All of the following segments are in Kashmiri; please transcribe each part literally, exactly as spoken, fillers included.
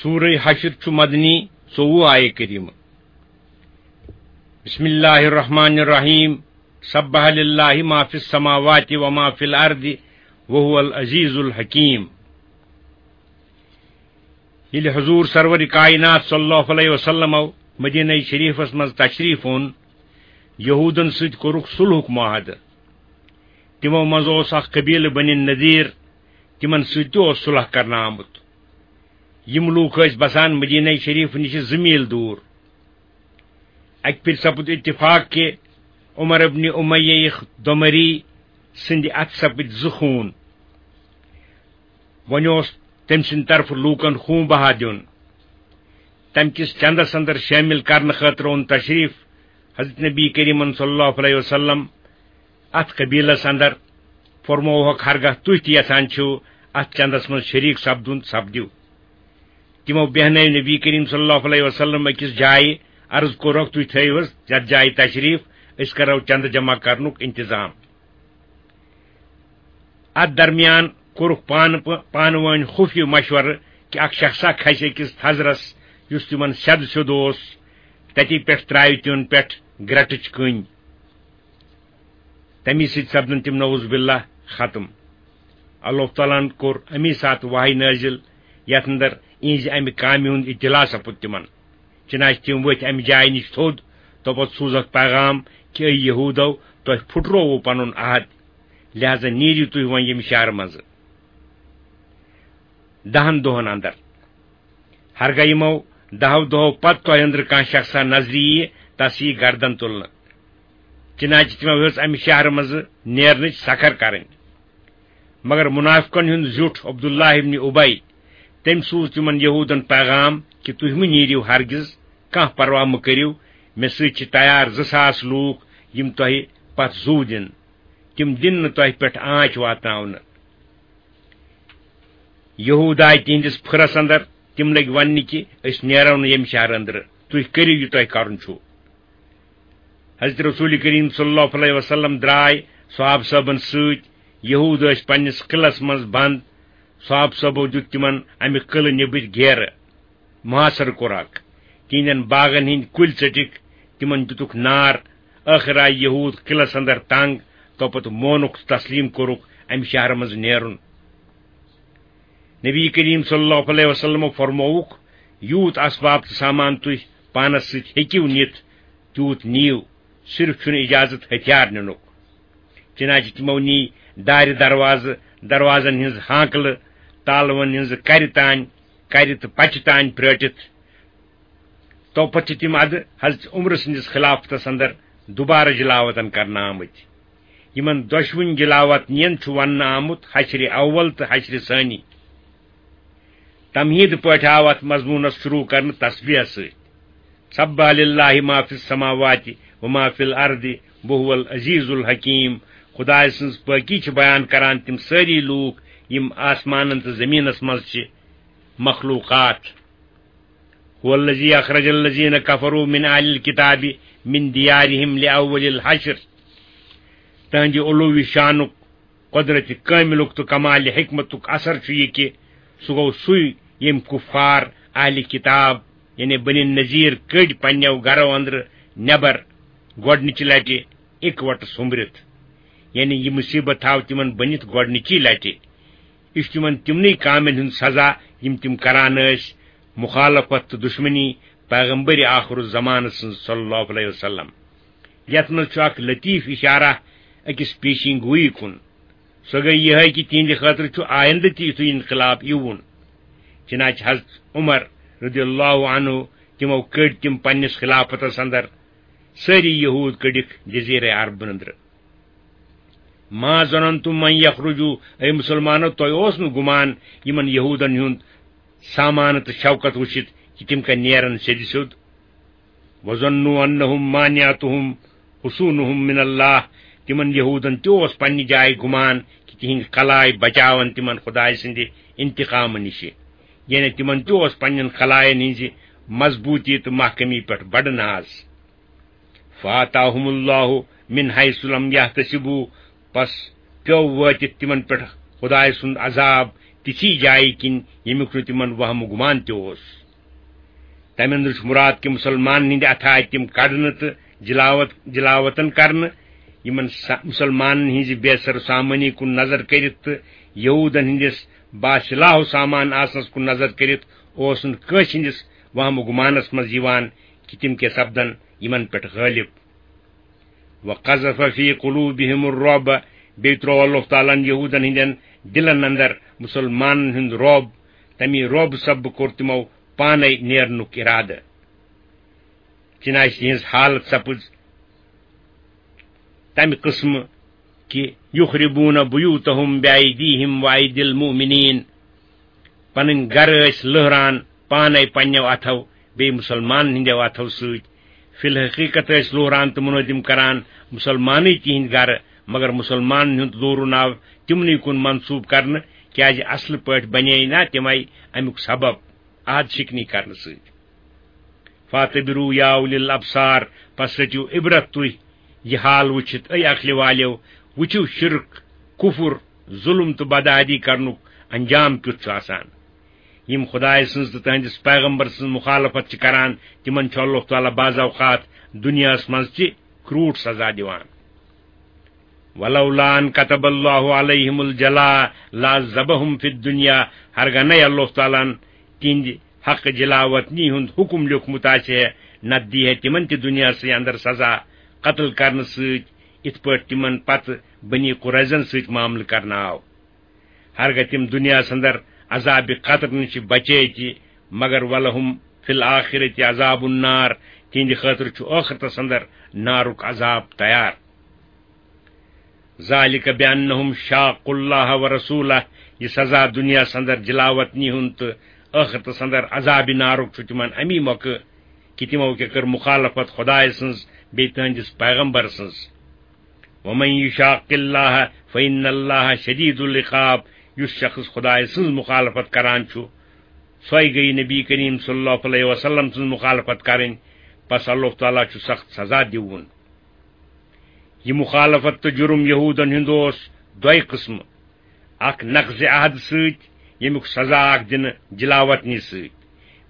سورہ حشر چھُ مدنی، ژوٚوُہ آیہِ کریمہ۔ بسم اللہ الرحمن الرحیم۔ سبح للہ ما فی السماوات و ما فی الارض وهو العزیز الحکیم۔ ییٚلہِ حضور سرور کائنات صلی اللہ علیہ وسلم مدینہ شریفس منٛز تشریف اوٚن، یہودن سۭتۍ کوٚرُکھ صلحُک معاہدٕ۔ تِمو منٛز اوس اکھ قبیلہٕ بنی نذیر، تِمن سۭتۍ تہِ اوس صلح کرنہٕ آمُت۔ یِم لوٗکھ ٲسۍ بسان مدینہ شریف نِش زٕ میٖل دوٗر۔ اکہِ پھِرِ سپُد اتفاق کہِ عمر ابن امیہ یِکھ دۄمری سٕنٛدِ اتھٕ سپٕدۍ زٕ خوٗن۔ وۄنۍ اوس تٔمۍ سٕنٛدِ طرفہٕ لوٗکن خوٗن بہا دیُن۔ تَمہِ کِس چندس اندر شٲمِل کرنہٕ خٲطرٕ اوٚن تشریف حضرت نبی کریمن صلی اللہ علیہ وسلم اتھ قبیلس اندر۔ فرمووہکھ، ہرگاہ تُہۍ تہِ یژھان چھِو اتھ چندس منٛز شریک سپدُن، سپدِو۔ تِمو بیہنٲوۍ نبی کریم صلی اللہ علیہ وسلم أکِس جایہِ، عرض کوٚرُکھ، تُہۍ تھٲیِو حظ یتھ جایہِ تشریف، أسۍ کرو چندٕ جمع کرنُک انتظام۔ اتھ درمیان کوٚرُکھ پانہٕ پہ-، پانہٕ وٲنۍ خفیہ مشورٕ کہِ اکھ شخصا کھسہِ أکِس تھزرس، یُس تِمن سیٚدٕ سیوٚد اوس، تتی پٮ۪ٹھ ترٛاوِ تِمن پٮ۪ٹھ گرٛٹٕچ کٔنۍ۔ تمی سۭتۍ سپدن تِم نعوذ باللہ ختم۔ اللہ تعالیٰ ہن کوٚر امی ساتہٕ وحی نٲزِل، یتھ اندر اِہنزِ امہِ کامہِ ہُنٛد اطلاع سپُد تِمن۔ چنانچہ تِم ؤتھۍ امہِ جایہِ نِش تھوٚد، توپتہٕ سوٗزکھ پیغام کہِ، اے یہودو، تۄہہِ پھُٹرووُ پنُن عہد، لہذا نیٖرِو تُہۍ وۄنۍ ییٚمہِ شہرٕ منٛزٕ دہن دۄہن اندر۔ ہرگاہ یِمو دہو دۄہو پتہٕ تۄہہِ أنٛدرٕ کانٛہہ شخصا نظرِ یِیہِ، تس یِیہِ گردن تُلنہٕ۔ چنانچہ تِمو ہیوٚژ امہِ شہرٕ منٛزٕ نیرنٕچ سکھر کرٕنۍ۔ مگر منافقن ہُنٛد زیُٹھ عبداللہ ابن ابی، تٔمۍ سوٗز تِمن یہودن پیغام کہِ، تُہۍ مہٕ نیٖرِو ہرگز، کانٛہہ پرواہ مہٕ کٔرِو، مےٚ سۭتۍ چھِ تیار زٕ ساس لوٗکھ، یِم تۄہہِ پتھ زُو دِن۔ تِم دِن نہٕ تۄہہِ پٮ۪ٹھ آنچ واتناونہٕ۔ یہود آے تِہنٛدِس پھُرس اندر، تِم لٔگۍ وننہِ کہِ، أسۍ نیرو نہٕ ییٚمہِ شہرٕ أنٛدرٕ، تُہۍ کٔرِو یہِ تۄہہِ کرُن چھُو۔ حضرت رسول کریم صلی اللہ علیہ وسلم درٛاے صحابہٕ صٲبن سۭتۍ۔ یہود ٲسۍ پننِس قلعس منٛز بند۔ صحابہٕ صٲبو دیُت تِمن امہِ قلعہٕ نیٚبٕرۍ گیرٕ۔ محاصرٕ کوٚرکھ۔ تِہنٛدٮ۪ن باغن ہٕنٛدۍ کُلۍ ژٔٹِکھ، تِمن دِتُکھ نار۔ ٲخٕر آیہِ یہود قلعس اندر تنگ، توپتہٕ مونُکھ تہٕ تسلیم کوٚرُکھ امہِ شہرٕ منٛز نیرُن۔ نبی کریم صلی اللہ علیہ وسلمو فرمووُکھ، یوٗت اسباب تہٕ سامان تُہۍ پانس سۭتۍ ہیٚکِو نِتھ، تیوٗت نِیِو، صرف چھُنہٕ اجازت ہتھیار نِنُک۔ چنانچہ تِمو نی دارِ دروازٕ، دروازن ہٕنٛز ہانکلہٕ، تالون ہٕنٛزٕ کرِ تانۍ، کرِ تہٕ پچہِ تانۍ پرٲٹِتھ۔ توپتہٕ چھِ تِم ادٕ حضرت عمر سٕنٛدِس خلافتس اندر دوبارٕ جلاوطن کرنہٕ آمٕتۍ۔ یِمن دۄشوٕنۍ جلاوطنین چھُ وننہٕ آمُت حشر اول تہٕ حشر ثانی۔ تمہیٖد پٲٹھۍ آو اتھ مضموٗنس شروع کرنہٕ تسبیح سۭتۍ، سبح للہ ما فی السماوات و ما فی الارض وهو العزیز الحکیم۔ خدایہِ سٕنٛز پٲکی چھِ بیان کران تِم سٲری لوٗکھ، یِم آسمانن تہٕ زٔمیٖنس منٛز چھِ مخلوقات۔ هو الذی اخرج الذین کفروا من اہل الکتاب من دیارہم لأول الحشر۔ تہنٛدِ علوی شانُک، قۄدرتِ کٲمِلُک تہٕ کمالِ حکمتُک اثر چھُ یہِ کہِ سُہ گوٚو سُے، ییٚمۍ کُفار اہلِ کتاب، یعنی بنی نذیر، کٔڈۍ پننیو گرو اندرٕ نٮ۪بر گۄڈنِچہِ لٹہِ اِکوٹہٕ سوٚمبرِتھ۔ یعنی یہِ مُصیبت تھاو تِمن بٔنِتھ گۄڈنِچی لٹہِ۔ یہِ چھُ تِمن تِمنٕے کامٮ۪ن ہُنٛد سزا، یِم تِم کران ٲسۍ، مخالفت تہٕ دشمنی پیغمبر آخر الزمان سٕنٛز صلی اللہ علیہ وسلم۔ یتھ منٛز چھُ اکھ لطیف اشارہ أکِس پیشین گویی کُن۔ سۄ گٔیہِ یِہے کہِ تِہنٛدِ خٲطرٕ چھُ آیندٕ تہِ یُتھُے انقلاب یِوُن۔ چنانچہ حضرت عمر رضی اللہ عنہ، تِمو کٔڈۍ تِم پننِس خلافتس اندر سٲری یہود کٔڈِکھ جزیرہ عرب أنٛدرٕ۔ ما ظننتم ان یخرجوا، اے مسلمانو، تۄہہِ اوس نہٕ گُمان یِمن یہودن ہُنٛد سامان تہٕ شوکت وٕچھِتھ کہِ تِم کتہِ نیرن سیٚدِ سیوٚد؟ وظنوا انہم مانعتہم حصونہم من اللہ، تِمن یہودن تہِ اوس پننہِ جایہِ گُمان کہِ تِہنٛدۍ قلایہِ بچاون تِمن خدایہِ سٕنٛدِ انتقامہٕ نِشہِ، یعنی تِمن تہِ اوس پننٮ۪ن قلاین ہٕنٛزِ مضبوٗطی تہٕ محکمی پٮ۪ٹھ بڑٕ ناز۔ فآتاہم اللہ من حیث لم یحتسبوا، پس پیوٚو وٲتِتھ تِمن پٮ۪ٹھ خدایہِ سُنٛد عذاب تِژھی جایہِ کِنۍ، ییٚمیُک نہٕ تِمن وہمہٕ گُمان تہِ اوس۔ تَمہِ اندرٕ چھُ مُراد کہِ مُسلمانن ہٕنٛدِ اَتھٕ آیہِ تِم کَڑنہٕ تہٕ جلاوت، جلاوطن کرنہٕ۔ یِمن سا-، مُسلمانن ہٕنٛزِ بے سر و سامٲنی کُن نظر کٔرِتھ تہٕ یہوٗدن ہٕنٛدِس باسلاح و سامان آسنس کُن نظر کٔرِتھ اوس نہٕ کٲنٛسہِ ہٕنٛدِس وہمہٕ گُمانس منٛز یِوان کہِ تِم کیٛاہ سپدن یِمن پٮ۪ٹھ غٲلب۔ وقذف فی قلوبہم الرعب، بیٚیہِ ترٛوو اللہ تعالیٰ ہن یہوٗدن ہٕنٛدٮ۪ن دِلن اندر مُسلمانن ہُنٛد رعب۔ تَمی رعب سببہٕ کوٚر تِمو پانے نیرنُک اِرادٕ۔ چنانچہ تِہنٛز حالت سپٕز تَمہِ قٕسمہٕ کہِ یخربون بیوتہم بایدیہم وایدی المؤمنین، پنٕنۍ گرٕ ٲسۍ لٔہران پانے پننیو اتھو، بیٚیہِ مُسلمانن ہٕنٛدیو اتھو سۭتۍ۔ فی الحقیقت ٲسۍ لوہران تہٕ مُنٲدِم کران مُسلمانٕے تِہنٛدۍ گرٕ، مگر مُسلمانن ہُنٛد لوٗرُن آو تِمنٕے کُن منسوٗب کرنہٕ، کیازِ اصلہٕ پٲٹھۍ بنے نا تِمے امیُک سبب عہد شکنی کرنہٕ سۭتۍ۔ فاعتبروا یا اولی الابصار، پس رٔٹِو عبرت تُہۍ یہِ حال وٕچھِتھ، اے عقلہِ والیو، وٕچھِو شرک، کفر، ظلم تہٕ بدعہدی کرنُک انجام کیُتھ چھُ آسان۔ یِم خدایہِ سٕنٛز تہٕ تٕہنٛدِس پیغمبر سٕنٛز مخالفت چھِ کران، تِمن چھُ اللہ تعالیٰ بعض اوقات دُنیاہس منٛز تہِ کرٛوٗٹھ سزا دِوان۔ ولولا ان كتب الله عليهم الجلاء لعذبهم في الدنيا، ہرگاہ نَے اللہ تعالیٰ ہن تِہنٛدِ حق جلاوطنی ہُنٛد حکم لیوٚکھمُت آسہِ ہے، نتہٕ دی ہے تِمن تہِ دُنیاہسٕے اندر سزا قتل کرنہٕ سۭتۍ، یِتھ پٲٹھۍ تِمن پتہٕ بنی قریظن سۭتۍ معاملہٕ کرنہٕ آو۔ ہرگاہ تِم دُنیاہس اندر عذابِ قتل نِش بچے تہِ، مگر ولہم فی الآخرۃ عذاب النار، تِہنٛدِ خٲطرٕ چھُ ٲخرتس اندر نارُک عذاب تیار۔ ذالک بانہم شاقوا اللہ ورسولہ، یہِ سزا دُنیاہس اندر جلاوطنی ہُنٛد تہٕ ٲخرتس اندر عذابِ نارُک چھُ تِمن امی مۄکھٕ کہِ تِمو کیٛاہ کٔر مخالفت خدایہِ سٕنٛز بیٚیہِ تِہنٛدِس پیغمبر سٕنٛز۔ ومن یشاق اللہ فإن اللہ شدید العقاب، یُس شخص خدایہِ سٕنٛز مخالفت کران چھُ، سۄے گٔیہِ نبی کریم صلی اللہ علیہ وسلم سٕنٛز مخالفت کرٕنۍ، پس اللہ تعالیٰ چھُ سخت سزا دِوُن۔ یہِ مخالفت تہٕ جُرم یہوٗدن ہُنٛد اوس دۄیہِ قٕسمہٕ، اکھ نقضِ عہد سۭتۍ، ییٚمیُک سزا اکھ دِنہٕ جلاوطنی سۭتۍ،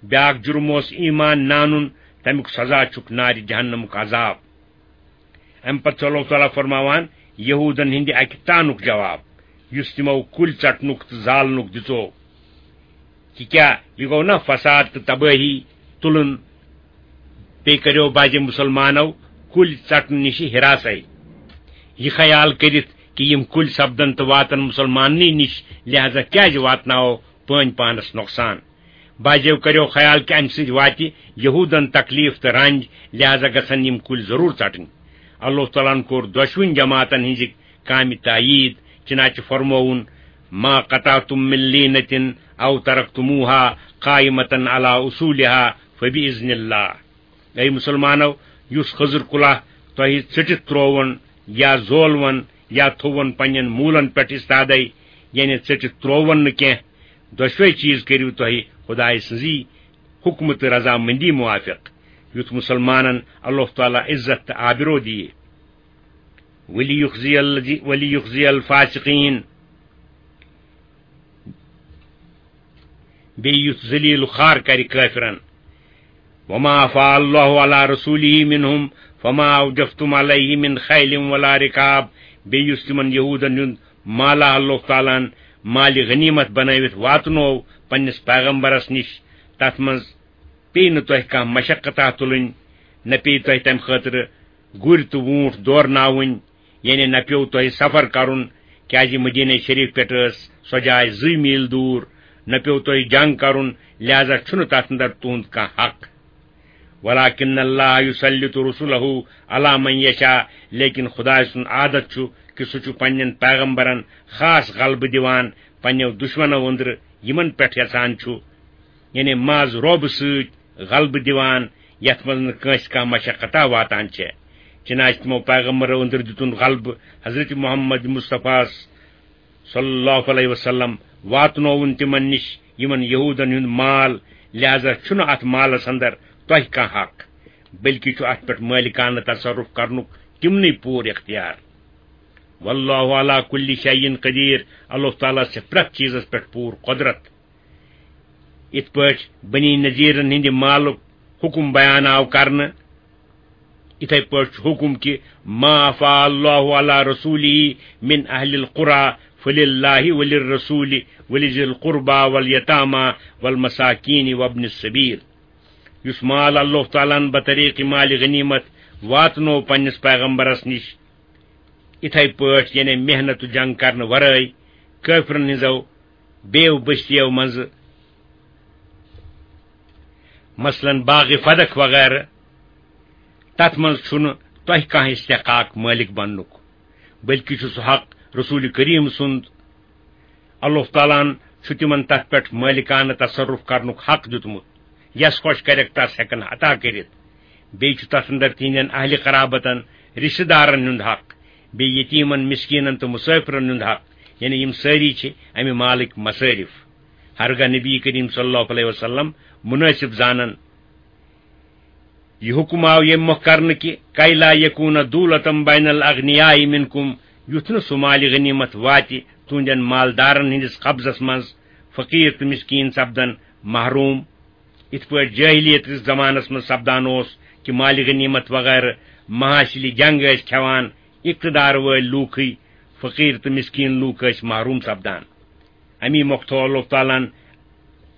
بیاکھ جُرم اوس ایمان نانُن، تمیُک سزا چھُکھ نارِ جہنمُک عذاب۔ امہِ پتہٕ چھُ اللہ تعالیٰ فرماوان یہوٗدن ہٕنٛدِ اکہِ تانُک جواب، یُس تِمو کُلۍ ژٹنُک تہٕ زالنُک دِژو۔ کہِ کیٛاہ یہِ گوٚو نا فساد تہٕ تبٲہی تُلُن؟ بیٚیہِ کٔرِو بعضِ مُسلمانو کُلۍ ژٹنہٕ نِش ہراسے، یہِ خیال کٔرِتھ کہِ یِم کُلۍ سپدن تہٕ واتن مُسلماننٕے نِش، لہذا کیٛازِ واتناوو پٲنۍ پانس نۄقصان؟ بعضیو کٔرِو خیال کہِ امہِ سۭتۍ واتہِ یہوٗدن تکلیف تہٕ رنج، لہذا گژھن یِم کُلۍ ضروٗر ژٹٕنۍ۔ اللہ تعالیٰ ہن کوٚر دۄشوٕنۍ جماعتن ہٕنٛزِ کامہِ تایید، چنانچہ فرمووُن، ما قطعتم من لینة او ترکتموها قائمة علی اصولها فبإذن اللہ۔ اے مُسلمانو، یُس خٔزٕر کُلہ تۄہہِ ژٔٹِتھ ترٛووُن یا زولوُن یا تھووُن پننٮ۪ن موٗلن پٮ۪ٹھ استادے، یعنی ژٔٹِتھ ترٛووُن نہٕ کینٛہہ، دۄشوے چیز کٔرِو تۄہہِ خدایہِ سٕنٛزی حکمہٕ تہٕ رضامندی موافق، یُتھ مُسلمانن اللہ تعالیٰ عزت تہٕ آبرو دِیہِ۔ ولیخزی الذی-، ولیخزی الفاسقین، بیٚیہِ یُتھ ذلیل و خوار کرِ کٲفرن۔ وما افاء اللہ علی رسولہ منہم فما اوجفتم علیہ من خیل ولا رکاب، بیٚیہِ یُس تِمن یہوٗدن ہُنٛد مالہ اللہ تعالیٰ ہن مالِ غنیمت بنٲوِتھ واتنوو پننِس پیغمبرس نِش، تتھ منٛز پیٚیہِ نہٕ تۄہہِ کانٛہہ مشقتہ تُلٕنۍ، نہ پیٚیہِ تۄہہِ تمہِ خٲطرٕ گُرۍ تہٕ ووٗنٛٹھ دورناوٕنۍ، یعنی نہ پیوٚو تۄہہِ سفر کرُن، کیازِ مدینہ شریف پٮ۪ٹھ ٲس سۄ جاے زٕے میٖل دوٗر، نہ پیوٚو تۄہہِ جنگ کرُن، لہذا چھُنہٕ تتھ اندر تُہُنٛد کانٛہہ حق۔ ولکن اللہ یسلط رسلہ علی من یشاء، لیکن خدائے سُنٛد عادت چھُ کہِ سُہ چھُ پننٮ۪ن پیغمبرن خاص غلبہٕ دِوان پننیو دشمنو أنٛدرٕ یِمن پٮ۪ٹھ یژھان چھُ، یعنی ماز روبہٕ سۭتۍ غلبہٕ دِوان، یتھ منٛز نہٕ کٲنٛسہِ کانٛہہ مشقتہ واتان چھےٚ۔ چنانچہ تِمو پیغمبرو أنٛدرٕ دِتُن غلبہٕ حضرت محمد مصطفیٰ صلی اللہ علیہ وسلم واتنووُن تِمن نِش یِمن یہوٗدن ہُنٛد مال، لہذا چھُنہٕ اتھ مالس اندر تۄہہِ کانٛہہ حق، بلکہ چھُ اتھ پٮ۪ٹھ مٲلکانہٕ تصرف کرنُک تِمنٕے پوٗرٕ اختیار۔ واللہ علی کل شیء قدیر، اللہ تعالیٰ چھِ پرٛٮ۪تھ چیٖزس پٮ۪ٹھ پوٗرٕ قۄدرت۔ یِتھ پٲٹھۍ بنی نذیرن ہٕنٛدِ مالُک حُکم بیان آو کرنہٕ، یِتھے پٲٹھۍ چھُ حُکم کہِ ما افاء اللہ علی رسولہ من اہل القری فللہ وللرسول ولذی القربی والیتامی والمساکین وابن السبیل۔ یُس مال اللہ تعالیٰ ہن بطریق مال غنیمت واتنو پننِس پیغمبرس نِش، یِتھے پٲٹھۍ یعنی محنت و جنگ کرنہٕ ورٲے کٲفرن ہٕنٛزو بیو بستیو منٛزٕ، مثلاً باغ فدق وغیرہ، تتھ منٛز چھُنہٕ تۄہہِ کانٛہہ استحقاق مٲلِک بننُک، بلکہِ چھُ سُہ حق رسول کریم سُنٛد۔ اللہ تعالیٰ ہن چھُ تِمن تتھ پٮ۪ٹھ مٲلِکانہٕ تصرف کرنُک حق دیُتمُت، یس خۄش کرٮ۪کھ تس ہٮ۪کن عطا کٔرِتھ۔ بیٚیہِ چھُ تتھ اندر تِہنٛدٮ۪ن اہلِ قرابتن، رشتہٕ دارن ہُنٛد حق، بیٚیہِ یتیمن، مسکینن تہٕ مسافرن ہُنٛد حق، یعنی یِم سٲری چھِ امہِ مالٕکۍ مصٲرف۔ ہرگاہ نبی کریم صلی اللہ علیہ وسلم مناسب زانن، یہِ حُکم آو ییٚمہِ مۄکھ کرنہٕ کہِ کَے لا یکوٗن دولتم بین الاغنیاء منکم، یُتھ نہٕ سُہ مالِ غنیمت واتہِ تُہنٛدٮ۪ن مالدارن ہٕنٛدِس قبضس منٛز، فقیٖر تہٕ مسکیٖن سپدن محروٗم۔ یِتھ پٲٹھۍ جٲہلیت کِس زمانس منٛز سپدان اوس کہِ مالِ غنیمت وغیرہ محاصلِ جنگ ٲسۍ کھٮ۪وان اقتدار وٲلۍ لوٗکھٕے، فقیٖر تہٕ مسکیٖن لوٗکھ ٲسۍ محروٗم سپدان۔ امی مۄکھ تھوو اللہ تعالیٰ ہن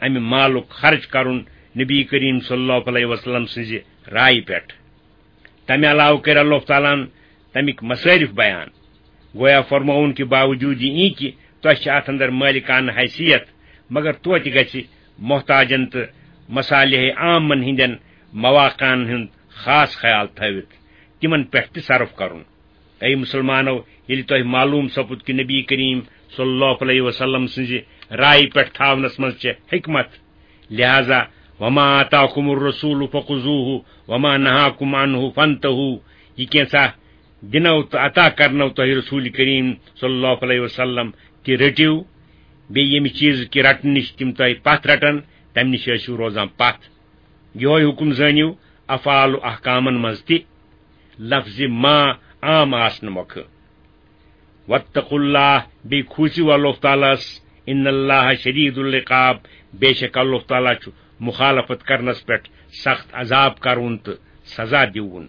امہِ مالُک خرچ کرُن نبی کریم صلی اللہ علیہ وسلم سٕنزِ رایہِ پٮ۪ٹھ۔ تمہِ علاوٕ کٔرۍ اللہ تعالیٰ ہن تمیِکۍ مصٲرف بیان۔ گویا فرمووُن کہِ باوجود یہِ کہِ تۄہہِ چھِ اتھ اندر مٲلِکانہٕ حیثیت، مگر توتہِ گژھِ محتاجن تہٕ مصالح عامن ہٕنٛدٮ۪ن مواقعن ہُنٛد خاص خیال تھٲوِتھ تِمن پٮ۪ٹھ تہِ صرف کرُن۔ اے مسلمانو، ییٚلہِ تۄہہِ معلوم سپُد کہِ نبی کریم صلی اللہ علیہ وسلم سٕنزِ رایہِ پٮ۪ٹھ تھاونس منٛز چھِ حکمت، لہذا وما آتاکم الرسول فخذوہ وما نہاکم عنہ فانتہو، یہِ کینژھا دِنو تہٕ عطا کرنو تۄہہِ رسول کریم صلی اللہ علیہ وسلم، تہِ رٔٹِو، بیٚیہِ ییٚمہِ چیٖزٕ کہِ رٹنہٕ نِش تِم تۄہہِ پتھ رٹن، تمہِ نِش ٲسِو روزان پتھ۔ یِہوے حُکم زٲنِو افعال و احکامن منٛز تہِ، لفظِ ما عام آسنہٕ مۄکھٕ۔ واتقوا اللہ، بیٚیہِ کھوٗژِو اللہ تعالیٰ ہس، ان اللہ شدید العقاب، بے شک اللہ تعالیٰ چھُ مخالفت کرنس پٮ۪ٹھ سخت عذاب کرُن تہٕ سزا دِوُن۔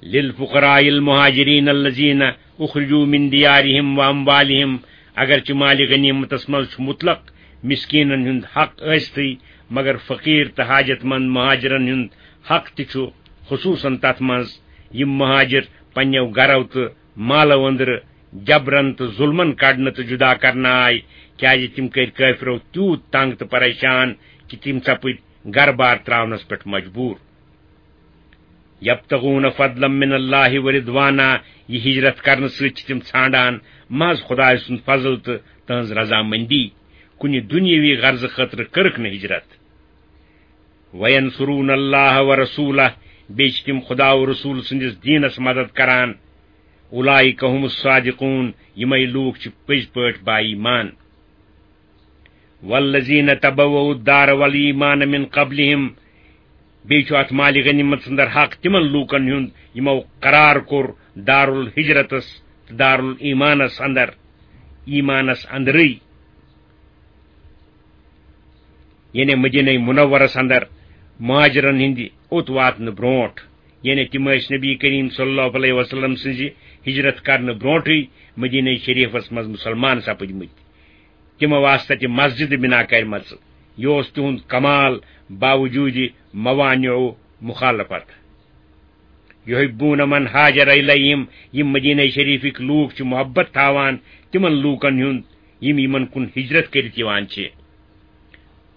للفقراء المہاجرین الذین اخرجوا من دیارہم واموالہم، اگرچہ مالِ غنیمتس منٛز چھُ مطلق مسکینن ہُنٛد حق ٲسِتھٕے، مگر فقیر تہٕ حاجت مند مہاجرن ہُنٛد حق تہِ چھُ، خصوصاً تتھ منٛز یِم مہاجر پننیو گرو تہٕ مالو أنٛدرٕ جبرن تہٕ ظلمن کڑنہٕ تہٕ جدا کرنہٕ آے، کیازِ تِم کٔرۍ کٲفرو تیوٗت تنگ تہٕ پریشان کہِ تِم سپٕدۍ گرٕ بار تراونس پٮ۪ٹھ مجبور۔ یبتغون فضلا من اللہ ورضوانا، یہِ ہجرت کرنہٕ سۭتۍ چھِ تِم ژھانڈان محض خدایہِ سُنٛد فضل تہٕ تہنٛز رضامندی، کُنہِ دُنیٲوی غرضہٕ خٲطرٕ کٔرٕکھ نہٕ ہجرت۔ وینصرون اللہ ورسولہ، بیٚیہِ چھِ تِم خدا و رسول سٕنٛدِس دیٖنس مدد کران۔ اولئک هم الصادقون، یِمے لوٗکھ چھِ پٔزۍ پٲٹھۍ با ایمان۔ والذین تبوؤوا الدار والایمان من قبلہم، بیٚیہِ چھُ اتھ مالِ غنیمتس اندر حق تِمن لوٗکن ہُنٛد یِمو قرار کوٚر دارالہجرتس تہٕ دارالایمانس اندر، ایمانس اندرٕے، یعنی مدینہ منورس اندر مہاجرن ہٕنٛدِ اوٚت واتنہٕ برونٹھ، یعنی تِم ٲسۍ نبی کریم صلی اللہ علیہ وسلم سٕنٛزِ ہجرت کرنہٕ برونٹھٕے مدینہ شریفس منٛز مسلمان سپٕدمٕتۍ۔ تِمو آسہٕ تتہِ مسجد بنا کرِمژٕ۔ یہِ اوس تِہُنٛد کمال باوجود موانع و مخالفت۔ یحبون من ہاجر الیہم، یِم مدینہ شریفٕکۍ لوٗکھ چھِ محبت تھاوان تِمن لوٗکن ہُنٛد یِم یِمن کُن ہجرت کٔرِتھ یِوان چھِ۔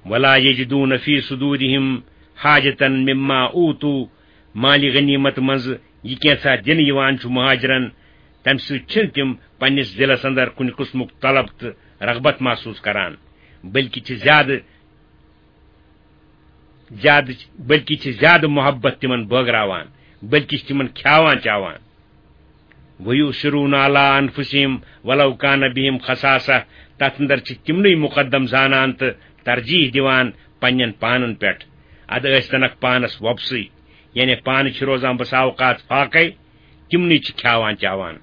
ولا یجدون فی صدورہم حاجتا مما اوتوا، مالِ غنیمت منٛز یہِ کینٛژھا دِنہٕ یِوان چھُ مہاجرن، تمہِ سۭتۍ چھِنہٕ تِم پننِس دِلس اندر کُنہِ قٕسمُک طلب تہٕ رغبت محسوٗس کران، بلکہِ چھِ زیادٕ، زیادٕ، بلکہِ چھِ زیادٕ محبت تِمن بٲگراوان، بلکہِ چھِ تِمن کھیاوان چاوان۔ ویؤثرون علی انفسہم ولو کان بہم خصاصہ، تتھ اندر چھِ تِمنٕے مقدم زانان تہٕ ترجیح دِوان پننٮ۪ن پانن پٮ۪ٹھ، ادٕ ٲسۍ تنکھ پانس وۄپسٕے، یعنی پانہٕ چھِ روزان بسا اوقات فاقے، تِمنٕے چھِ کھیاوان چاوان۔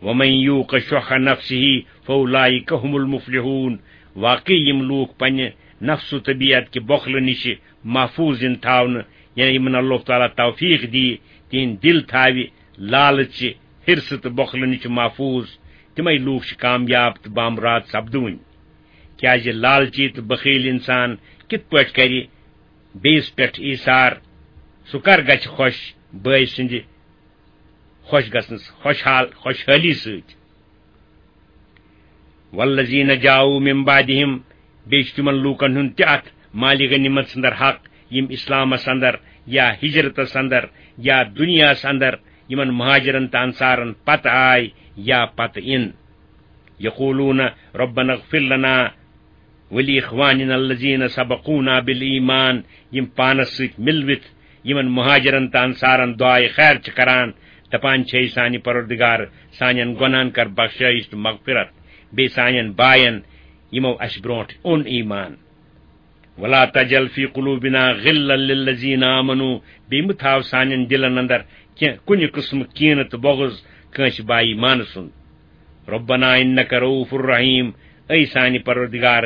ومن یوق شح نفسہ فاولئک هم المفلحون۔ واقعی یِم لوٗکھ پننہِ نفس و طبیعت کہِ بۄخلہٕ نِش محفوظ یِن تھاونہٕ، یعنی یِمن اللہ تعالیٰ توفیق دی، تِہنٛدۍ دِل تھاوِ لالچہِ، حرصہٕ تہٕ بۄخلہٕ نِش محفوظ، تِمے لوٗکھ چھِ کامیاب تہٕ بامراد سپدوٕنۍ۔ کیازِ لالچی تہٕ بخیل انسان کِتھ پٲٹھۍ کرِ بیٚیِس پٮ۪ٹھ ایثار؟ سُہ کر گژھِ خۄش بٲے سٕنٛدِ خۄش گژھنس، خۄشحال، خۄشحٲلی سۭتۍ؟ والذین جاؤوا من بعدہم، بیٚیہِ چھُ تِمن لوٗکن ہُنٛد تہِ اتھ مالِ غنیمت اندر حق، یِم اسلامس اندر یا ہجرتس اندر یا دنیاہس اندر یِمن مہاجرن تہٕ انصارن پتہٕ آے یا پتہٕ یِن۔ یقولون ربنا اغفر لنا ولاخواننا الذین سبقونا بالایمان، یِم پانس سۭتۍ مِلوِتھ یِمن مہاجرن تہٕ انصارن دعایہِ خیر چھِ کران، دپان چھِ، "اے سانہِ پروردگار، سانٮ۪ن گۄناہن کر بخشٲیش تہٕ مغفرت، بیٚیہِ سانٮ۪ن باین، یِمو اسہِ برونٛٹھ اوٚن ایمان۔ ولا تجعل فی قلوبنا غلا للذین آمنوا"، بیٚیہِ مہٕ تھاو سانٮ۪ن دِلن اندر کینٛہہ، کُنہِ قٕسمہٕ کینہٕ تہٕ بغض کٲنٛسہِ با ایمانہٕ سُنٛد۔ ربنا انک رؤوف الرحیم، اے سانہِ پروردگار،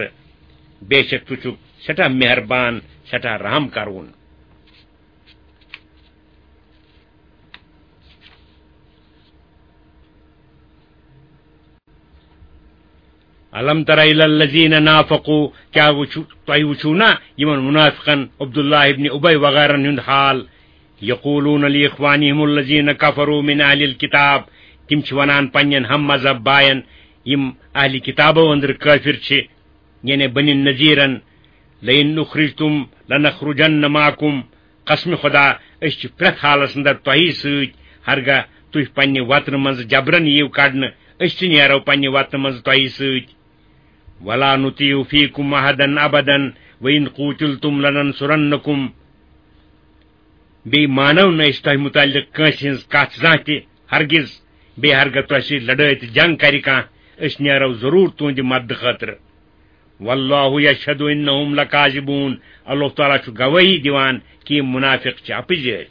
بے شک ژٕ چھُکھ سٮ۪ٹھاہ مہربان، سٮ۪ٹھاہ رحم کرون۔ الم تر الی الذین نافقوا، کیٛاہ وٕچھو، تۄہہِ وٕچھو نا یِمن منافقن عبداللہ ابن ابی وغیرہن ہُنٛد حال؟ یقولون لاخوانہم الذین کفروا من اہل الکتاب، تِم چھِ ونان پننٮ۪ن ہم مذہب باین، یِم اہل کتابو أنٛدرٕ کٲفر چھِ، یعنی بنی نذیرن، "لئن اخرجتم لنخرجن معکم"، قسم خدا، أسۍ چھِ پرٛٮ۪تھ حالس اندر تۄہی سۭتۍ، ہرگاہ تُہۍ پننہِ وطنہٕ منٛزٕ جبرن یِیِو کڑنہٕ، أسۍ تہِ نیرو پننہِ وطنہٕ منٛزٕ تۄہی سۭتۍ۔ "ولا نطیع فیکم احدا ابدا وان قوتلتم لننصرنکم"، بیٚیہِ مانو نہٕ أسۍ تۄہہِ مُتعلق کٲنٛسہِ ہٕنٛز کتھ زانٛہہ تہِ، ہرگز، بیٚیہِ ہرگاہ تۄہہِ سۭتۍ لڑٲے تہٕ جنگ کرِ کانٛہہ، أسۍ نیرو ضروٗر تُہنٛدِ مددٕ خٲطرٕ۔ واللہ یشہد انہم لکاذبون، اللہ تعالیٰ چھُ گوٲہی دِوان کہِ یِم منافق چھِ اپٕزٲرۍ۔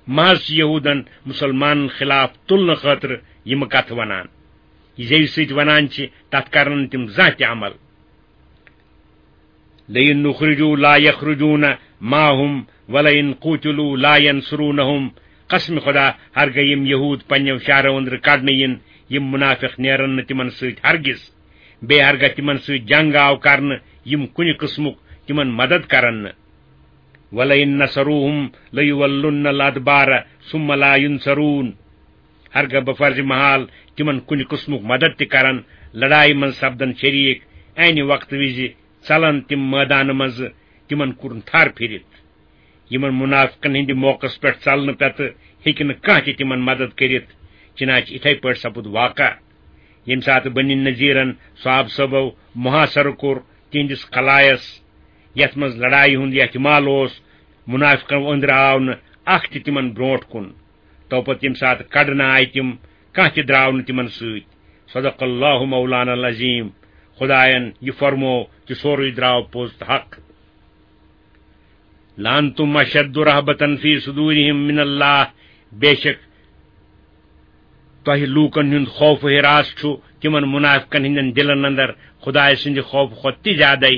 محض چھِ یہودن مسلمانن خلاف تُلنہٕ خٲطرٕ یِم کتھٕ ونان۔ یہِ زیوِ سۭتۍ ونان چھِ، تتھ کرن نہٕ تِم زانٛہہ تہِ عمل۔ "لئن اخرجوا لا یخرجون معهم ولئن قوتلوا لا ینصرونهم"، قسم خدا، ہرگاہ یِم یہود پننیو شہرو أنٛدرٕ کڑنہٕ یِن، یِم منافق نیرن نہٕ تِمن سۭتۍ ہرگز۔ بیٚیہِ ہرگاہ تِمن سۭتۍ جنگ آو کرنہٕ، یِم کُنہِ قٕسمُک تِمن مدد کرن نہٕ۔ "ولئن نصروهم لیولن الادبار ثم لا ینصرون"، ہرگاہ بفرض محال تِمن کُنہِ قٕسمُک مدد تہِ کرن، لڑایہِ منٛز سپدن شریٖک، عینہِ وقتہٕ وِزِ ژلن تِم مٲدانہٕ منٛزٕ، تِمن کُن تھر پھِرِتھ۔ یِمن منافقن ہٕنٛدِ موقعس پٮ۪ٹھ ژلنہٕ پتہٕ ہیٚکہِ نہٕ کانٛہہ تہِ تِمن مدد کٔرِتھ۔ چنانچہ اِتھے پٲٹھۍ سپُد واقعہ، ییٚمہِ ساتہٕ بنی نذیرن صحابہٕ صٲبو محاصرٕ کوٚر تِہنٛدِس قلعس، یتھ منٛز لڑایہِ ہُنٛد احتمال اوس، منافقو أنٛدرٕ آو نہٕ اکھ تہِ تِمن برونٛٹھ کُن۔ تو پتہٕ ییٚمہِ ساتہٕ کڑنہٕ آیہِ تِم، کانٛہہ تہِ درٛاو نہٕ تِمن سۭتۍ۔ صدق اللہ مولانا العظیم۔ خداین یہِ فرمو، تہِ سورُے درٛاو پوٚز تہٕ حق۔ "لانتم اشد رہبة فی صدورہم من اللہ"، بے شک تۄہہِ لوٗکن ہُنٛد خوف و ہراس چھُ تِمن منافقن ہٕنٛدٮ۪ن دِلن اندر خدایہِ سٕنٛدِ خوفہٕ کھۄتہٕ تہِ زیادَے۔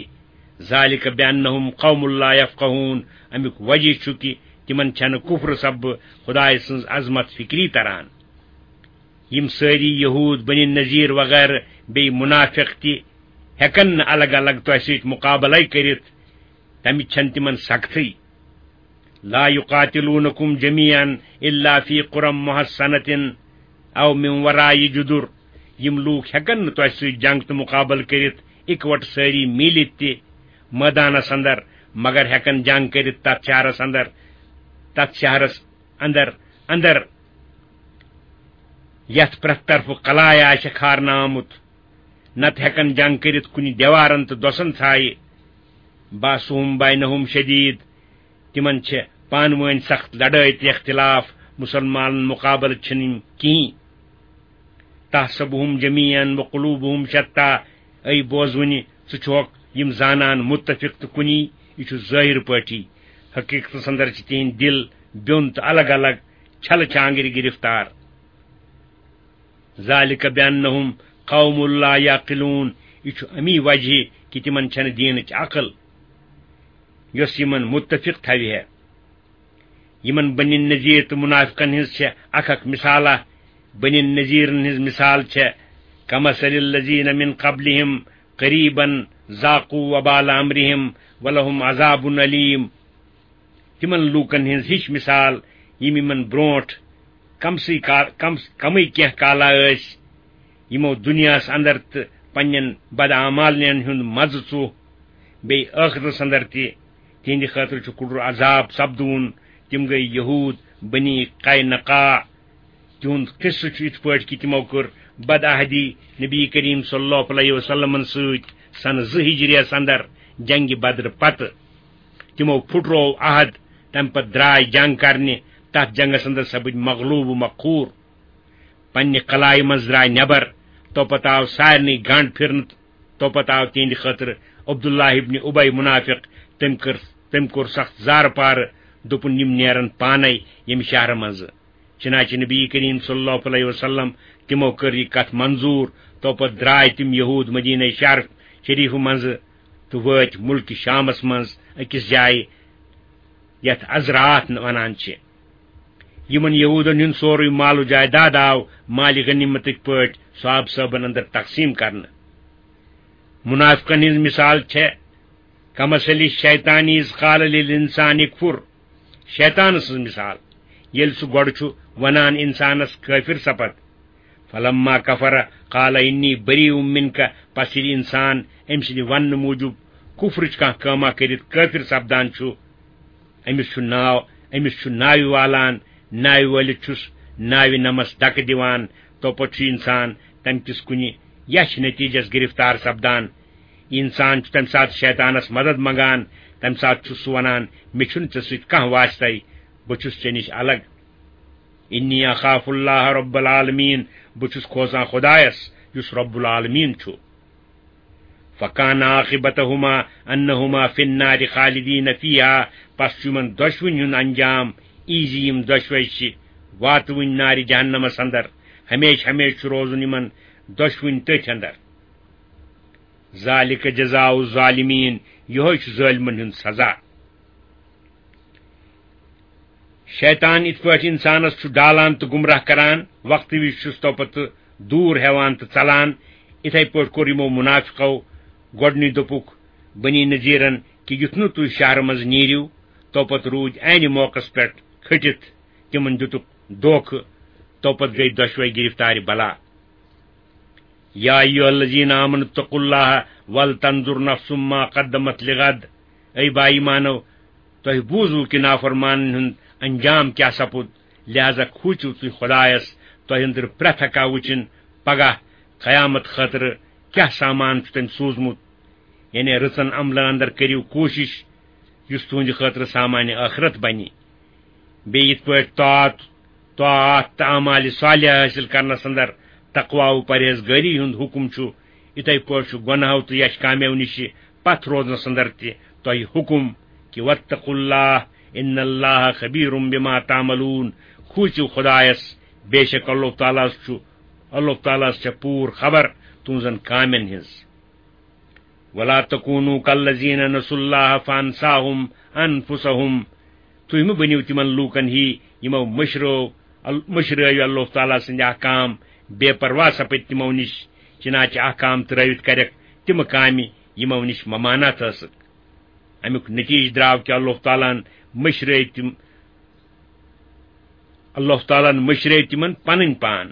"ذالک بانہم قوم لا یفقہون"، امیُک وجہ چھُ کہِ تِمن چھنہٕ کفرٕ سببہٕ خدایہِ سٕنٛز عظمت فکری تران۔ یِم سٲری یہود، بنی نذیر وغیرہ بیٚیہِ منافق تہِ ہٮ۪کن نہٕ الگ الگ تۄہہِ سۭتۍ مقابلے کٔرِتھ، تمِچ چھنہٕ تِمن سختٕے۔ "لا یقاتلونکم جمیعا الا فی قری محصنة او من وراء جدر"، یِم لوٗکھ ہٮ۪کن نہٕ تۄہہِ سۭتۍ جنگ تہٕ مقابلہٕ کٔرِتھ اِکوٹہٕ سٲری میٖلِتھ تہِ مٲدانس اندر، مگر ہٮ۪کن جنگ کٔرِتھ تتھ شہرس اندر، تتھ شہرس اندر، اندر یتھ پرٛٮ۪تھ طرفہٕ قلعہ آسہِ کھارنہٕ آمُت، نتہٕ ہٮ۪کن جنگ کٔرِتھ کُنہِ دیوارن تہٕ دۄسن ژھایہِ۔ "باسہم بینہم شدید"، تِمن چھِ پانہٕ وٲنۍ سخت لڑٲے تہٕ اختلاف، مسلمانن مقابلہٕ چھِنہٕ یِم کِہیٖنۍ۔ "تحسبہم جمیعا وقلوبہم شتیٰ"، اے بوزوٕنہِ، ژٕ چھُکھ یِم زانان متفق تہٕ کُنی، یہِ چھُ ظٲہر پٲٹھی، حقیقتس اندر چھِ تِہنٛدۍ دِل بیوٚن تہٕ الگ الگ، چھلہٕ چھانگرِ گرفتار۔ ذلك بأنهم قوم لا يعقلون۔ یہِ چھُ اَمی وجہ کہِ تِمن چھَنہٕ دیٖنٕچ عقل، یۄس یِمن مُتفِق تھاوِ ہے۔ یِمن بنی نذیر تہٕ منافقن ہٕنٛز چھےٚ اکھ اکھ مثالہ۔ بنی نذیرن ہٕنٛز مثال چھےٚ كمثل الذين من قبلهم قريبا ذاقوا وبال أمرهم ولهم عذاب أليم۔ تِمن لوٗکن ہٕنٛز ہِش مثال، یِم یِمن برونٛٹھ کمسٕے کا-، کم-، کمٕے کینٛہہ کالا ٲسۍ، یِمو دُنیاہس اندر تہٕ پننٮ۪ن بداعمالین ہُنٛد مزٕ ژوٚو، بیٚیہِ ٲخرتس اندر تہِ۔ تِہنٛدِ خٲطرٕ چھُ کُڈُر عذاب سپدوُن۔ تِم گٔے یہوٗد، بنی قینقاع۔ تِہُنٛد قصہٕ چھُ یِتھ پٲٹھۍ کہِ تِمو کٔر بدعہدی نبی کریم صلی اللہ علیہ وسلمن سۭتۍ سنہٕ زٕ ہجریَس اندر جنگِ بدر پتہٕ۔ تِمو پھُٹروو عہد، تمہِ پتہٕ درٛاے جنگ کرنہِ۔ تتھ جنگس اندر سپٕدۍ مغلوب و مقہوٗر۔ پننہِ قلعہ منٛز درٛاے نٮ۪بر۔ تو پتہٕ آو سارنٕے گنڈ پھرنہٕ۔ تو پتہٕ آو تِہنٛدِ خٲطرٕ عبداللہ ابن ابی منافق۔ تٔمۍ کٔر، تٔمۍ کوٚر سخت زارٕ پارٕ، دوٚپُن، "یِم نیرن پانے ییٚمہِ شہرٕ منٛزٕ۔" چنانچہ نبی کریم صلی اللہ علیہ وسلم تِمو کٔر یہِ کتھ منظور۔ تو پتہٕ درٛاے تِم یہوٗد مدینہ شہر شریف منٛزٕ تہٕ وٲتۍ ملکہِ شامس منٛز أکِس جایہِ، یتھ ازرات ونان چھِ۔ یِمن یہوٗدن ہُنٛد سورُے مال و جائیداد آو مالِ غنیمتٕکۍ پٲٹھۍ صحابہٕ صٲبن اندر تقسیٖم کرنہٕ۔ منافقن ہٕنٛز مثال چھےٚ کمثل الشیطان اذ قال للانسان اکفر۔ شیطان سٕنٛز مثال، ییٚلہِ سُہ گۄڈٕ چھُ ونان انسانس کٲفر سپد، فلما کفر قال انی بریء منک، پس ییٚلہِ انسان أمۍ سٕنٛدِ وننہٕ موٗجوٗب کفرٕچ کانٛہہ کٲما کٔرِتھ کٲفر سپدان چھُ، أمِس چھُ ناو، أمِس چھُ ناوِ والان، ناوِ وٲلِتھ چھُس ناوِ نمس دکہٕ دِوان، تو پتہٕ چھُ انسان تمہِ کِس کُنہِ یچھ نتیجس گرفتار سپدان۔ انسان چھُ تمہِ ساتہٕ شیطانس مدد منگان، تمہِ ساتہٕ چھُ سُہ ونان، "مےٚ چھُنہٕ ژےٚ سۭتۍ کانٛہہ واسطے، بہٕ چھُس ژےٚ نِش الگ۔ انی اخاف اللہ رب العالمین، بہٕ چھُس کھوژان خدایس، یُس رب العالمین چھُ۔" فکان عاقبتہما انہما فی النار خالدین فیہا، پس چھُ یِمن دۄشوٕنی ہُنٛد انجام یی زِ یِم دۄشوے چھِ واتوٕنۍ نارِ جہنمس اندر، ہمیشہِ ہمیشہِ چھُ روزُن یِمن دۄشوٕنۍ تٔتھۍ اندر۔ ذالک جزاء الظالمین، یِہوٚے چھُ ظٲلمن ہُنٛد سزا۔ شیطان یِتھ پٲٹھۍ انسانس چھُ ڈالان تہٕ گمراہ کران، وقتہٕ وِزِ چھُس تو پتہٕ دوٗر ہٮ۪وان تہٕ ژلان، اِتھے پٲٹھۍ کوٚر یِمو منافقو۔ گۄڈٕنی دوٚپُکھ بنی نذیرن کہِ یُتھ نہٕ تُہۍ شہرٕ منٛز نیٖرِو، تو پتہٕ روٗدۍ عینہِ موقعس پٮ۪ٹھ کھٔٹِتھ، تِمن دِتُکھ دھوکہٕ، تو پتہٕ گٔے دۄشوے گرفتارِ بلا۔ یا ایھا الذین آمنوا اتقوا اللہ ولتنظر نفس ما قدمت لغد۔ اے با ایمانو، تۄہہِ بوٗزوٕ کہِ نافرمانن ہُنٛد انجام کیٛاہ سپُد، لہذا کھوٗژِو تُہۍ خۄدایس، تۄہہِ أنٛدرٕ پرٛٮ۪تھ اکھ وٕچھِن پگاہ قیامت خٲطرٕ کیٛاہ سامان چھُ تٔمۍ سوٗزمُت۔ یعنی رٕژن عملن اندر کٔرِو کوٗشِش، یُس تُہنٛدِ خٲطرٕ سامان ٲخرت بنہِ۔ بیٚیہِ یِتھ پٲٹھۍ طاعت، طاعت تہٕ اعمال صالحہ حٲصِل کرنس اندر تقوا و پرہیزگٲری ہُنٛد حُکم چھُ، یِتھے پٲٹھۍ چھُ گۄناہو تہٕ یش کامیو نِشہِ پتھ روزنس اندر تہِ تۄہہِ حُکم کہِ واتقوا اللہ ان اللہ خبیر بما تعملون، کھوٗژِو خۄدایس، بے شک اللہ تعالیٰ ہس چھُ، اللہ تعالیٰ ہس چھےٚ پوٗرٕ خبر تُہنٛزن کامٮ۪ن ہٕنٛز۔ ولا تکونوا کالذین نسوا اللہ فانساهم انفسهم۔ تُہۍ مہٕ بٔنِو تِمن لوٗکن ہی، یِمو مٔشرٲو ال-، مٔشرٲوۍ اللہ تعالیٰ سٕنٛدۍ احکام، بے پرواہ سپٕدۍ تِمو نِش، چنانچہ احکام ترٲوِتھ کرٮ۪کھ تِم کامہِ، یِمو نِش ممانعت ٲسٕکھ۔ امیُک نتیجہ درٛاو کہِ اللہ تعالیٰ ہن مٔشرٲوۍ تِم، اللہ تعالیٰ ہن مٔشرٲوۍ تِمن پنٕنۍ پان۔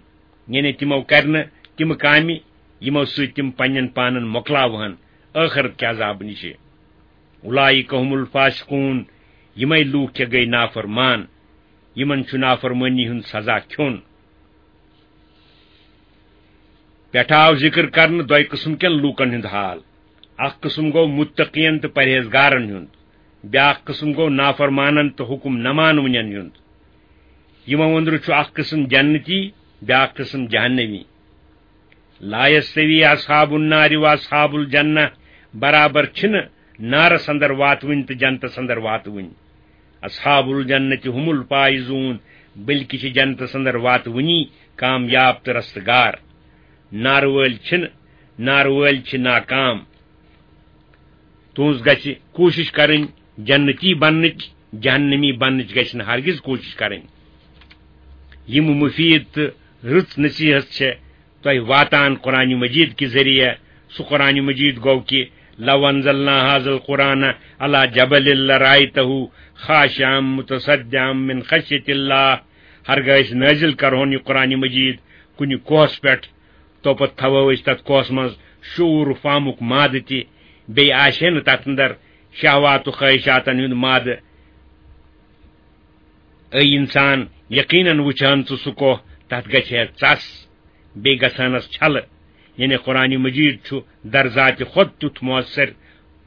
یعنی تِمو کرِ نہٕ تِم کامہِ، یِمو سۭتۍ تِم پننٮ۪ن پانن مۄکلاوہن ٲخرت کہِ عذابہٕ نِشہِ۔ اولئک هم الفاسقون، یِمے لوٗکھ چھِ گٔے نافرمان، یِمن چھُ نافرمٲنی ہُنٛد سزا کھیوٚن۔ پٮ۪ٹھٕ آو ذِکر کرنہٕ دۄیہِ قٕسم کٮ۪ن لوٗکن ہُنٛد حال۔ اکھ قٕسم گوٚو مُتقین تہٕ پرہیزگارن ہُنٛد، بیٛاکھ قٕسم گوٚو نافرمانن تہٕ حُکم نہ مانوٕنٮ۪ن ہُنٛد۔ یِمو أنٛدرٕ چھُ اکھ قٕسم جنتی، بیٛاکھ قٕسم جہنمی۔ لا یستوی اصحاب النار و اصحاب الجنہ، برابر چھِنہٕ نارس اندر واتوٕنۍ تہٕ جنتس اندر واتوٕنۍ۔ اصحاب الجنت هم الفائزون، بلکہ چھِ جنتس اندر واتوٕنی کامیاب تہٕ رستگار۔ نارٕ وٲلۍ چھِنہٕ، نارٕ وٲلۍ چھِ ناکام۔ تُہٕنٛز گژھِ کوٗشِش کرٕنۍ جنتی بننٕچ، جہنمی بننٕچ گژھِ نہٕ ہرگز کوٗشِش کرٕنۍ۔ یِم مُفیٖد تہٕ رٕژ نصیحت چھےٚ تۄہہِ واتان قرآن مجید کہِ ذٔریعہٕ۔ سُہ قرآن مجید گوٚو کہِ لو انزلنا هذا القرآن على جبل لرأيته خاشعا متصدعا من خشية الله۔ ہرگاہ أسۍ نٲزِل کرہون یہِ قرآن مجید کُنہِ کوہس پٮ۪ٹھ، توپتہٕ تھاوو أسۍ تتھ کوہس منٛز شعور و فہمُک مادٕ تہِ، بیٚیہِ آسہِ ہے نہٕ تتھ اندر شہوات و خواہشاتن ہُنٛد مادٕ۔ اے انسان، یقیناً وٕچھان ژٕ سُہ کوہ، تتھ گژھِ ہے ژس، بیٚیہِ گژھانس چھلہٕ۔ یعنی قرآن مجید چھُ در ذاتِ خود تیُتھ مؤثر،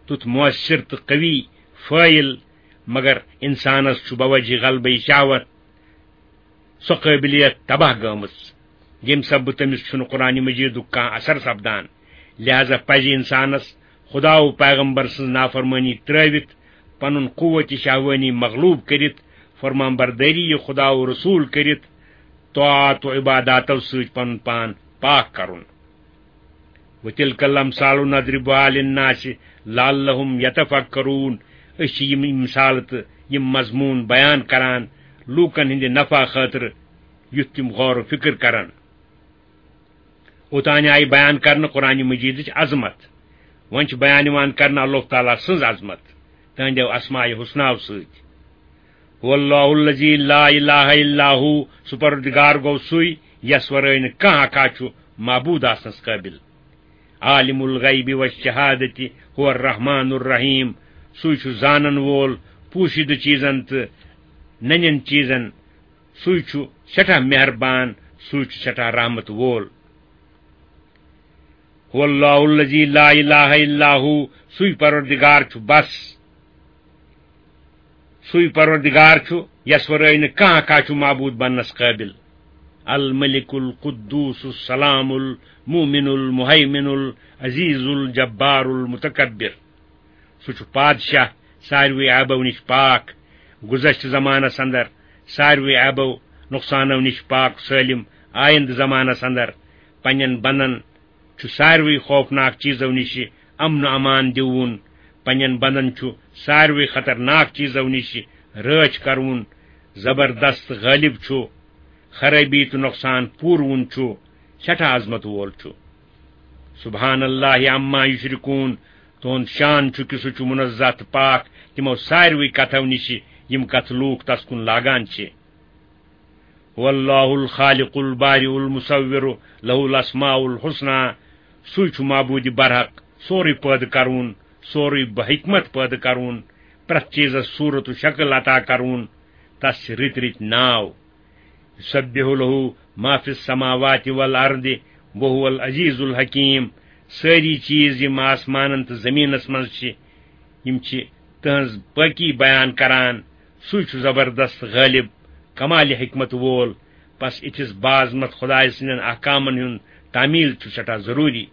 تیُتھ مؤثر تہٕ قوی فٲعل، مگر انسانس چھُ بوجہ غلبہ شہوت سۄ قٲبلیت تباہ گٔمٕژ، ییٚمہِ سببہٕ تٔمِس چھُنہٕ قرآن مجیدُک کانٛہہ اثر سپدان۔ لہذا پزِ انسانس خدا و پیغمبر سٕنٛز نافرمٲنی ترٲوِتھ، پنُن قوت شہوٲنی مغلوب کٔرِتھ، فرمان بردٲری خدا و رسول کٔرِتھ، طاعات و عباداتو سۭتۍ پنُن پان پاک کرُن۔ وتلک الامثال نضربها للناس لعلهم يتفكرون۔ أسۍ چھِ یِم مثالہٕ تہٕ یِم مضموٗن بیان کران لوٗکن ہٕنٛدِ نفع خٲطرٕ، یُتھ تِم غور و فکر کرن۔ اوتانۍ آیہِ بیان کرنہٕ قرآن مجیدٕچ عظمت، وۄنۍ چھِ بیان یِوان کرنہٕ اللہ تعالیٰ سٕنٛز عظمت تہنٛدیو اسماء حسناو سۭتۍ۔ هو الله الذي لا إله إلا هو، سُہ پروردگار گوٚو سُے یس ورٲے نہٕ کانٛہہ اکھا چھُ معبوٗد آسنس قٲبِل۔ عالم الغیب والشہادة هو الرحمن الرحیم، سُے چھُ زانن وول پوشیدٕ چیزن تہٕ ننٮ۪ن چیزن، سُے چھُ سٮ۪ٹھاہ مہربان، سُے چھُ سٮ۪ٹھاہ رحمت وول۔ هو الله الذي لا إله إلا هو، سُے پروردگار چھُ بس، سُے پروردگار چھُ یس ورٲے نہٕ کانٛہہ کانٛہہ چھُ معبوٗد بننس قٲبِل۔ الملك القدوس السلام المؤمن المهيمن العزيز الجبار المتكبر۔ سُہ چھُ پادشاہ، ساروٕے عیبو نِش پاک، گُذشتہٕ زمانس اندر ساروٕے عیبو نۄقصانو نِش پاک سٲلِم، آیندٕ زمانس اندر پننٮ۪ن بندن چھُ ساروٕے خوفناک چیزو نِش امن و امان دیوُن، پننٮ۪ن بندن چھُ ساروٕے خطرناک چیزو نِش رٲچھ کرُن، زبردست غٲلب چھُ، خرٲبی تہٕ نۄقصان پوٗروُن چھُ، سٮ۪ٹھاہ عظمت وول چھُ۔ سبحان الله عما يشركون، تُہُنٛد شان چھُ کہِ سُہ چھُ منزہ تہٕ پاک تِمو ساروٕے کتھو نِش، یِم کتھٕ لوٗکھ تس کُن لاگان چھِ۔ هو الله الخالق البارئ المصور له الاسماء الحسنى، سُے چھُ معبوٗدِ برحق، سورُے پٲدٕ کرون، سورُے بحکمت پٲدٕ کرون، پرٛٮ۪تھ چیٖزس صوٗرت و شکل عطا کرون، تس چھِ رٕتۍ رٕتۍ ناو۔ يسبح له ما في السماوات والأرض وهو العزيز الحكيم۔ سٲری چیٖز یِم آسمانن تہٕ زٔمیٖنس منٛز چھِ، یِم چھِ تٕہٕنٛز پٲکی بیان کران۔ سُے چھُ زبردست غٲلب، کمالِ حکمت وول۔ پس اِتھِس باعظمت خدایہِ سٕنٛدٮ۪ن احکامن ہُنٛد تعمیل چھُ سٮ۪ٹھاہ ضروٗری۔